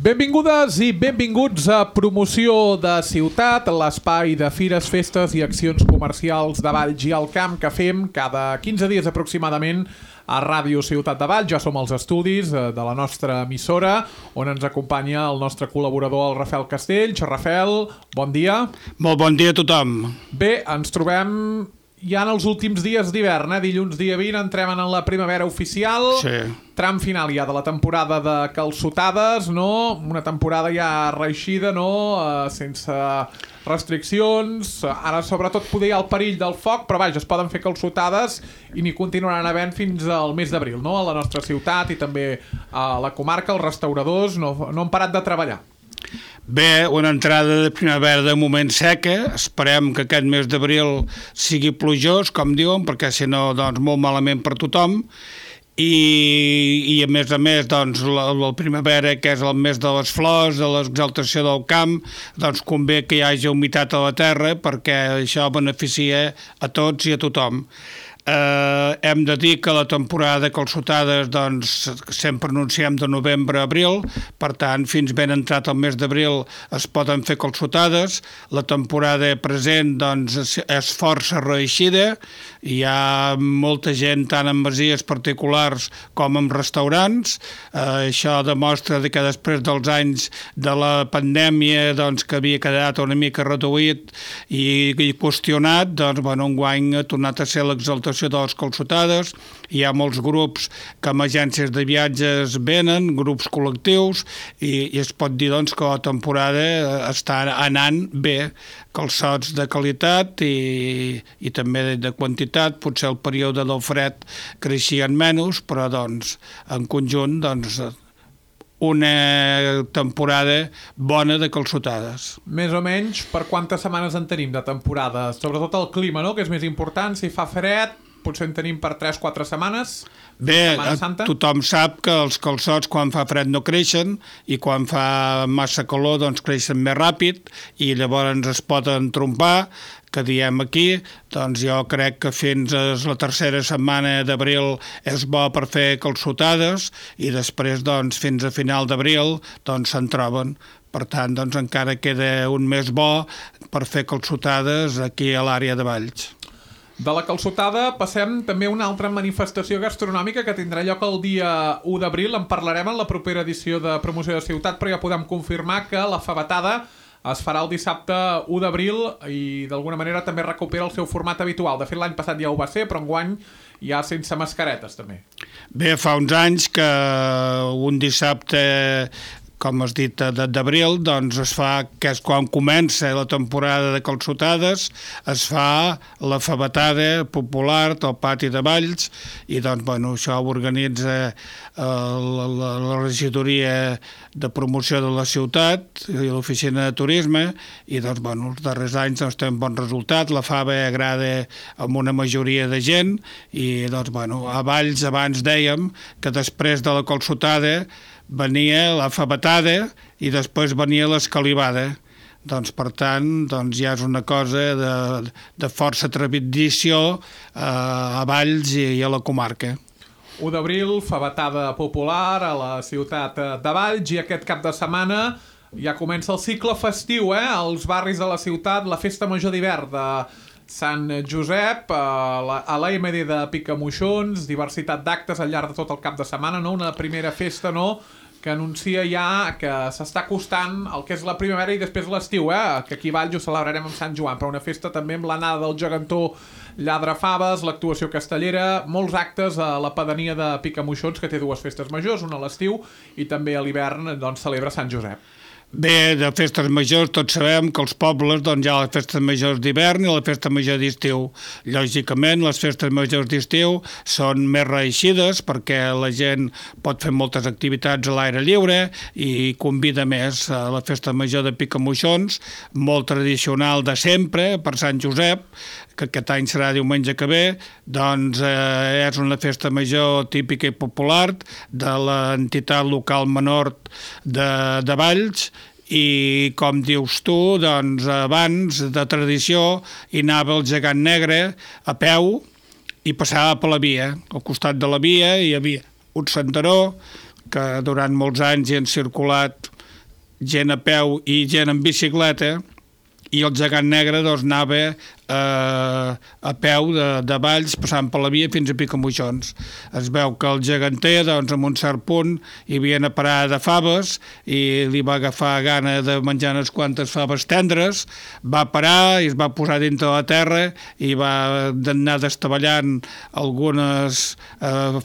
Benvingudes i benvinguts a Promoció de Ciutat, l'espai de fires, festes i accions comercials de Valls i al Camp que fem cada 15 dies aproximadament a Ràdio Ciutat de Valls. Ja som als estudis de la nostra emissora, on ens acompanya el nostre col·laborador, el Rafael Castells. Rafael, bon dia. Molt bon dia a tothom. Bé, ens trobem ja en els últims dies d'hivern, dilluns dia 20 entrem en la primavera oficial, Sí. Tram final ja de la temporada de calçotades, no? Una temporada ja reeixida, no? Sense restriccions, ara sobretot poder hi ha el perill del foc, però vaja, es poden fer calçotades i n'hi continuaran havent fins al mes d'abril, no? A la nostra ciutat i també a la comarca, els restauradors no han parat de treballar. Bé, una entrada de primavera de moment seca, esperem que aquest mes d'abril sigui plujós, com diuen, perquè si no, doncs, molt malament per tothom, i a més, doncs, la primavera, que és el mes de les flors, de l'exaltació del camp, doncs convé que hi hagi humitat a la terra, perquè això beneficia a tots i a tothom. Hem de dir que la temporada de calçotades doncs, sempre anunciem de novembre a abril, per tant fins ben entrat el mes d'abril es poden fer calçotades. La temporada present doncs, és força reeixida, hi ha molta gent tant en masies particulars com en restaurants. Això demostra que després dels anys de la pandèmia doncs, que havia quedat una mica reduït i qüestionat, doncs, enguany ha tornat a ser l'exaltació de les calçotades. Hi ha molts grups que amb agències de viatges venen, grups col·lectius, i es pot dir doncs, que la temporada està anant bé, calçots de qualitat i també de quantitat. Potser el període del fred creixien menys, però doncs, en conjunt doncs, una temporada bona de calçotades. Més o menys, per quantes setmanes en tenim de temporada? Sobretot el clima, no?, que és més important. Si fa fred, potser en tenim per 3-4 setmanes. Bé, tothom sap que els calçots quan fa fred no creixen i quan fa massa calor doncs creixen més ràpid i llavors es poden trompar, que diem aquí. Doncs jo crec que fins a la tercera setmana d'abril és bo per fer calçotades i després doncs, fins a final d'abril doncs, se'n troben. Per tant, doncs, encara queda un mes bo per fer calçotades aquí a l'àrea de Valls. De la calçotada passem també a una altra manifestació gastronòmica que tindrà lloc el dia 1 d'abril. En parlarem en la propera edició de Promoció de Ciutat, però ja podem confirmar que la fabatada es farà el dissabte 1 d'abril i d'alguna manera també recupera el seu format habitual. De fet, l'any passat ja ho va ser, però enguany ja sense mascaretes també. Bé, fa uns anys que un dissabte, com has dit, d'abril, doncs es fa, que és quan comença la temporada de calçotades, es fa la fabatada popular del pati de Valls i doncs, això ho organitza la regidoria de promoció de la ciutat i l'oficina de turisme i doncs, els darrers anys doncs, té un bon resultat. La fava agrada amb una majoria de gent i doncs, a Valls abans dèiem que després de la calçotada venia la fabatada i després venia l'escalivada. Doncs, per tant, doncs, ja és una cosa de força tradició a Valls i a la comarca. 1 d'abril, fabatada popular a la ciutat de Valls i aquest cap de setmana ja comença el cicle festiu, als barris de la ciutat, la festa major d'hivern de Sant Josep, a l'AMD de Picamoixons, diversitat d'actes al llarg de tot el cap de setmana, no? Una primera festa, no?, que anuncia ja que s'està acostant el que és la primavera i després l'estiu, que aquí a Valls ho celebrarem amb Sant Joan, però una festa també amb l'anada del gegantó Lladrafaves, l'actuació castellera, molts actes a la pedania de Picamoixons, que té dues festes majors, una a l'estiu i també a l'hivern doncs, celebra Sant Josep. Bé, de festes majors tots sabem que als pobles doncs, hi ha les festes majors d'hivern i la festa major d'estiu. Lògicament, les festes majors d'estiu són més reeixides perquè la gent pot fer moltes activitats a l'aire lliure i convida més a la festa major de Picamoixons, molt tradicional de sempre, per Sant Josep, que aquest any serà diumenge que ve, doncs és una festa major típica i popular de l'entitat local menor de Valls i, com dius tu, doncs abans de tradició hi anava el gegant negre a peu i passava per la via. Al costat de la via hi havia un senderó que durant molts anys hi han circulat gent a peu i gent en bicicleta, i el gegant negre doncs, anava a peu de Valls, passant per la via fins a Picamoixons. Es veu que el geganter, doncs, en un cert punt, hi havia una parada de faves i li va agafar gana de menjar unes quantes faves tendres, va parar i es va posar dintre de la terra i va anar destavellant algunes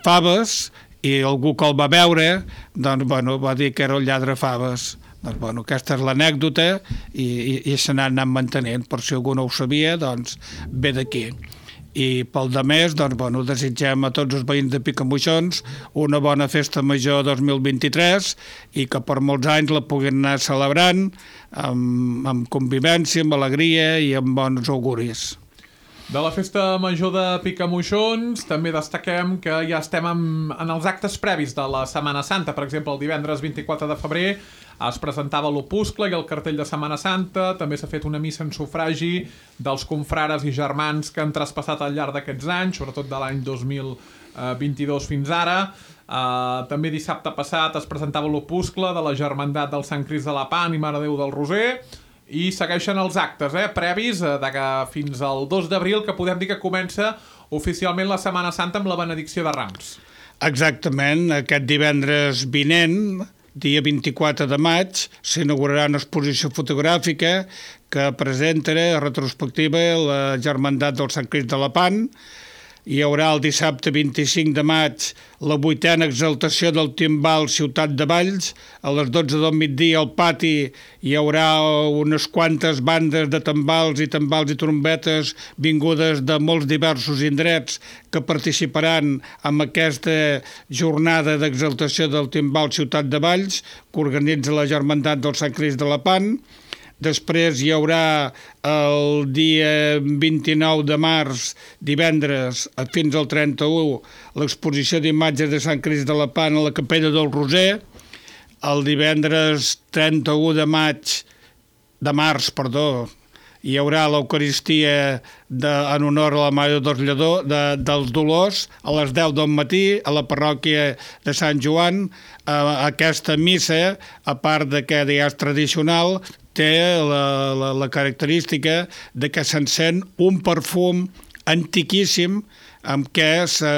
faves, i algú que el va veure doncs, va dir que era el lladre faves. Doncs, aquesta és l'anècdota i se n'ha anat mantenent. Per si algú no ho sabia, doncs ve d'aquí. I pel demés, doncs, desitgem a tots els veïns de Picamoixons una bona festa major 2023 i que per molts anys la puguin anar celebrant amb convivència, amb alegria i amb bons auguris. De la festa major de Picamoixons també destaquem que ja estem en els actes previs de la Setmana Santa. Per exemple, el divendres 24 de febrer es presentava l'opuscle i el cartell de Setmana Santa. També s'ha fet una missa en sufragi dels confrares i germans que han traspassat al llarg d'aquests anys, sobretot de l'any 2022 fins ara. També dissabte passat es presentava l'opuscle de la Germandat del Sant Crist de la Pan i Mare de Déu del Roser. I segueixen els actes previs fins al 2 d'abril, que podem dir que comença oficialment la Setmana Santa amb la benedicció de Rams. Exactament, aquest divendres vinent, dia 24 de maig, s'inaugurarà una exposició fotogràfica que presentarà retrospectiva la Germandat del Sant Crist de la Pan. Hi haurà el dissabte 25 de maig la 8a exaltació del timbal Ciutat de Valls. A les 12 del migdia al pati hi haurà unes quantes bandes de tambals i trombetes vingudes de molts diversos indrets que participaran en aquesta jornada d'exaltació del timbal Ciutat de Valls que organitza la Germandat del Sant Crist de la Pan. Després hi haurà el dia 29 de març, divendres, fins al 31, l'exposició d'imatges de Sant Crist de la Pan a la Capella del Roser. El divendres 31 de març, hi haurà l'Eucaristia en honor a la Mare dels Dolors a les 10 del matí a la parròquia de Sant Joan. Aquesta missa, a part de que ja és tradicional, té la característica de que s'encén un perfum antiquíssim amb què se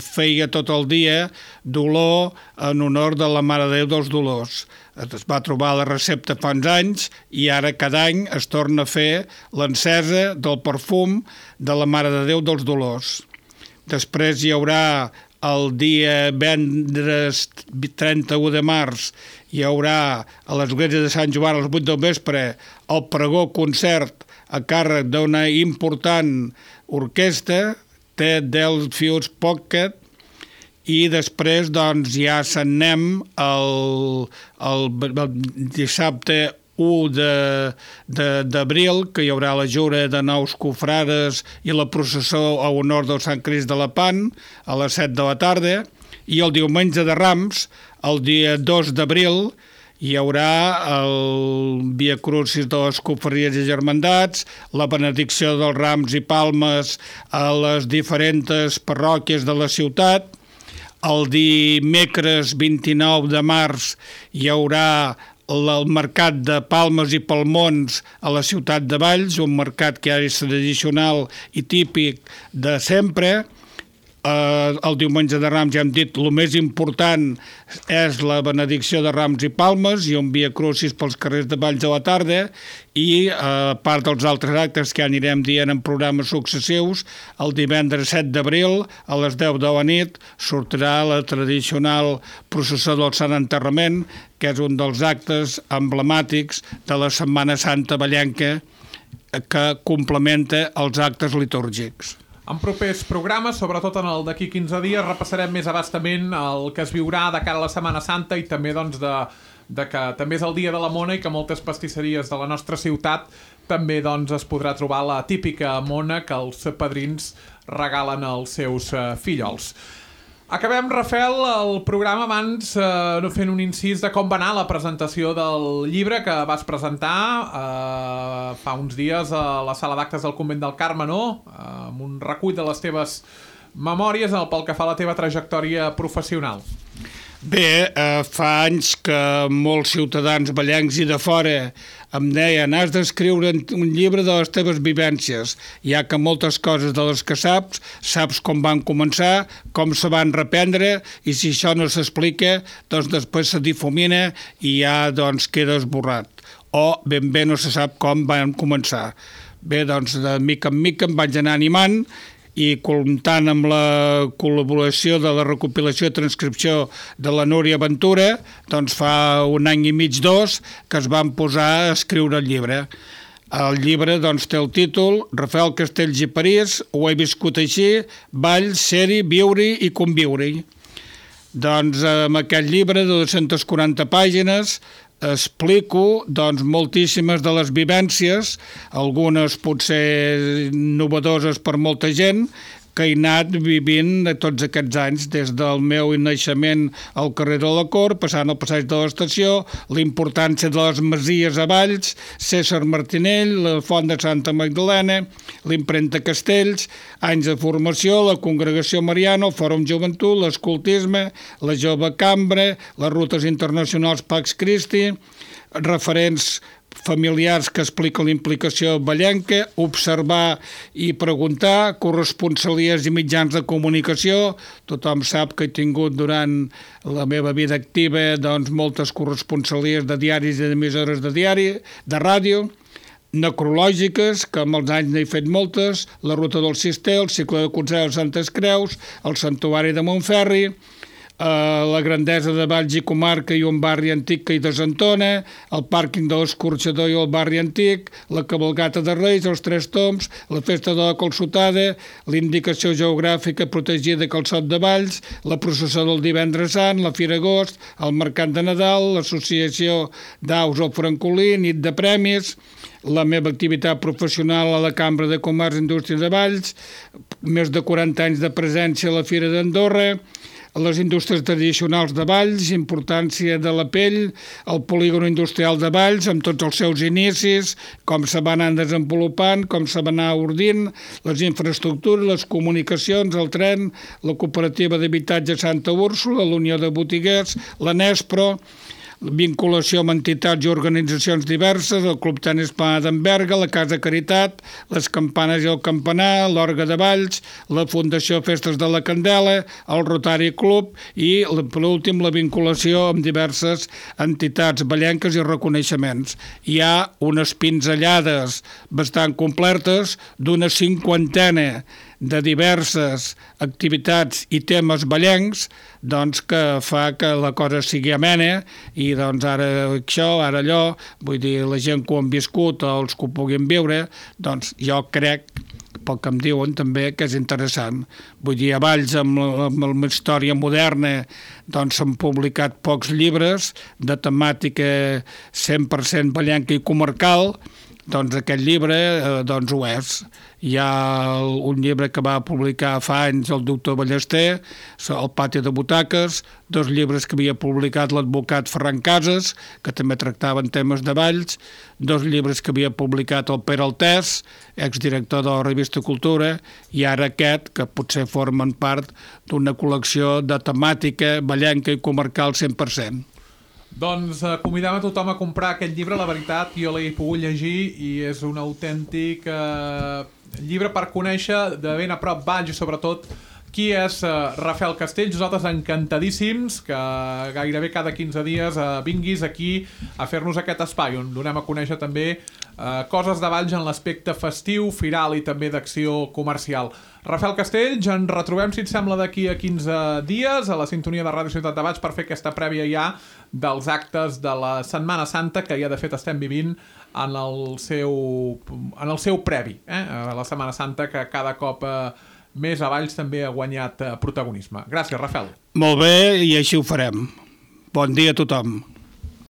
feia tot el dia dolor en honor de la Mare de Déu dels Dolors. Es va trobar la recepta fa uns anys i ara cada any es torna a fer l'encesa del perfum de la Mare de Déu dels Dolors. Després hi haurà el dia vendres 31 de març, hi haurà a l'església de Sant Joan a les 8 del vespre el pregó concert a càrrec d'una important orquestra, Del Fields Pocket, i després ja s'anem el dissabte 1 d'abril, que hi haurà la jura de nous cofrades i la processó a honor del Sant Crist de la Pan a les 7 de la tarda, i el diumenge de Rams, el dia 2 d'abril, hi haurà el Via Crucis de les Confraries i Germandats, la benedicció dels rams i palmes a les diferents parròquies de la ciutat. El dimecres 29 de març hi haurà el mercat de palmes i palmons a la ciutat de Valls, un mercat que és tradicional i típic de sempre. El diumenge de Rams, ja hem dit, el més important és la benedicció de rams i palmes i un Via Crucis pels carrers de Valls a la tarda, i a part dels altres actes que anirem dient en programes successius, el divendres 7 d'abril a les 10 de la nit sortirà la tradicional processó del Sant Enterrament, que és un dels actes emblemàtics de la Setmana Santa vallenca que complementa els actes litúrgics. En propers programes, sobretot en el d'aquí 15 dies, repassarem més abastament el que es viurà de cara a la Setmana Santa i també de que també és el dia de la mona i que moltes pastisseries de la nostra ciutat també es podrà trobar la típica mona que els padrins regalen als seus fillols. Acabem, Rafael, el programa abans fent un incís de com va anar la presentació del llibre que vas presentar fa uns dies a la sala d'actes del Convent del Carme, no? Amb un recull de les teves memòries pel que fa a la teva trajectòria professional. Bé, fa anys que molts ciutadans ballencs i de fora em deien has d'escriure un llibre de les teves vivències, ja que moltes coses de les que saps com van començar, com se van reprendre, i si això no s'explica, doncs després se difumina i ja doncs, queda esborrat. O ben bé no se sap com van començar. Bé, doncs de mica en mica em vaig anar animant i comptant amb la col·laboració de la recopilació i transcripció de la Núria Ventura, doncs fa un any i mig, 2, que es van posar a escriure el llibre. El llibre doncs, té el títol Rafael Castells i París, ho he viscut així, ball, ser-hi, viure-hi i conviure-hi. Doncs amb aquest llibre de 240 pàgines explico doncs, moltíssimes de les vivències, algunes potser novedoses per molta gent, que he anat vivint tots aquests anys, des del meu naixement al carrer de la Cort, passant al passeig de l'Estació, la importància de les masies a Valls, César Martinell, la Font de Santa Magdalena, l'impremta Castells, anys de formació, la Congregació Mariana, el Fòrum Joventut, l'escoltisme, la Jove Cambra, les rutes internacionals Pax Christi, referents familiars que expliquen la implicació ballenca, observar i preguntar, corresponsalies i mitjans de comunicació. Tothom sap que he tingut durant la meva vida activa doncs, moltes corresponsalies de diaris i d'emissores de diari, de ràdio, necrològiques, que amb els anys n'he fet moltes, la Ruta del Cister, el cicle de Consell de Santes Creus, el Santuari de Montferri, la grandesa de Valls i Comarca i un barri antic que hi desentona, el pàrquing de l'Escorxador i el barri antic, la cabalgata de Reis, els Tres Tombs, la festa de la Calçotada, la indicació geogràfica protegida Calçot de Valls, la processó del Divendres Sant, la Fira Agost, el Mercat de Nadal, l'associació d'Aus al Francolí, nit de premis, la meva activitat professional a la Cambra de Comerç i Indústria de Valls, més de 40 anys de presència a la Fira d'Andorra, les indústries tradicionals de Valls, importància de la pell, el polígon industrial de Valls, amb tots els seus inicis, com se van anar desenvolupant, com se van anar ordint, les infraestructures, les comunicacions, el tren, la cooperativa d'habitatge Santa Úrsula, la Unió de Botiguers, la Nespro, vinculació amb entitats i organitzacions diverses, el Club Tenis Plana d'Enverga, la Casa Caritat, les Campanes i el Campanar, l'Orga de Valls, la Fundació Festes de la Candela, el Rotary Club i, per últim, la vinculació amb diverses entitats ballenques i reconeixements. Hi ha unes pinzellades bastant completes d'una 50ena de diverses activitats i temes ballencs doncs, que fa que la cosa sigui amena i doncs ara això, ara allò, vull dir, la gent que ho han viscut o els que ho puguin viure, doncs jo crec, pel que em diuen també, que és interessant. Vull dir, a Valls, amb la història moderna, doncs s'han publicat pocs llibres de temàtica 100% ballenca i comarcal, doncs aquest llibre doncs ho és. Hi ha un llibre que va publicar fa anys el doctor Ballester, El pati de butaques, 2 llibres que havia publicat l'advocat Ferran Casas, que també tractaven temes de Valls, 2 llibres que havia publicat el Pere Altès, exdirector de la revista Cultura, i ara aquest, que potser formen part d'una col·lecció de temàtica ballenca i comarcal 100%. Doncs convidem a tothom a comprar aquest llibre, la veritat, jo l'he pogut llegir i és un autèntic llibre per conèixer de ben a prop Valls i sobretot qui és Rafael Castells. Nosaltres encantadíssims que gairebé cada 15 dies vinguis aquí a fer-nos aquest espai on donem a conèixer també coses de Valls en l'aspecte festiu, firal i també d'acció comercial. Rafael Castells, ens retrobem, si et sembla, d'aquí a 15 dies a la sintonia de Ràdio Ciutat de Valls per fer aquesta prèvia ja dels actes de la Setmana Santa que ja de fet estem vivint en el seu previ, la Setmana Santa que cada cop més a Valls també ha guanyat protagonisme. Gràcies, Rafael. Molt bé, i així ho farem. Bon dia a tothom.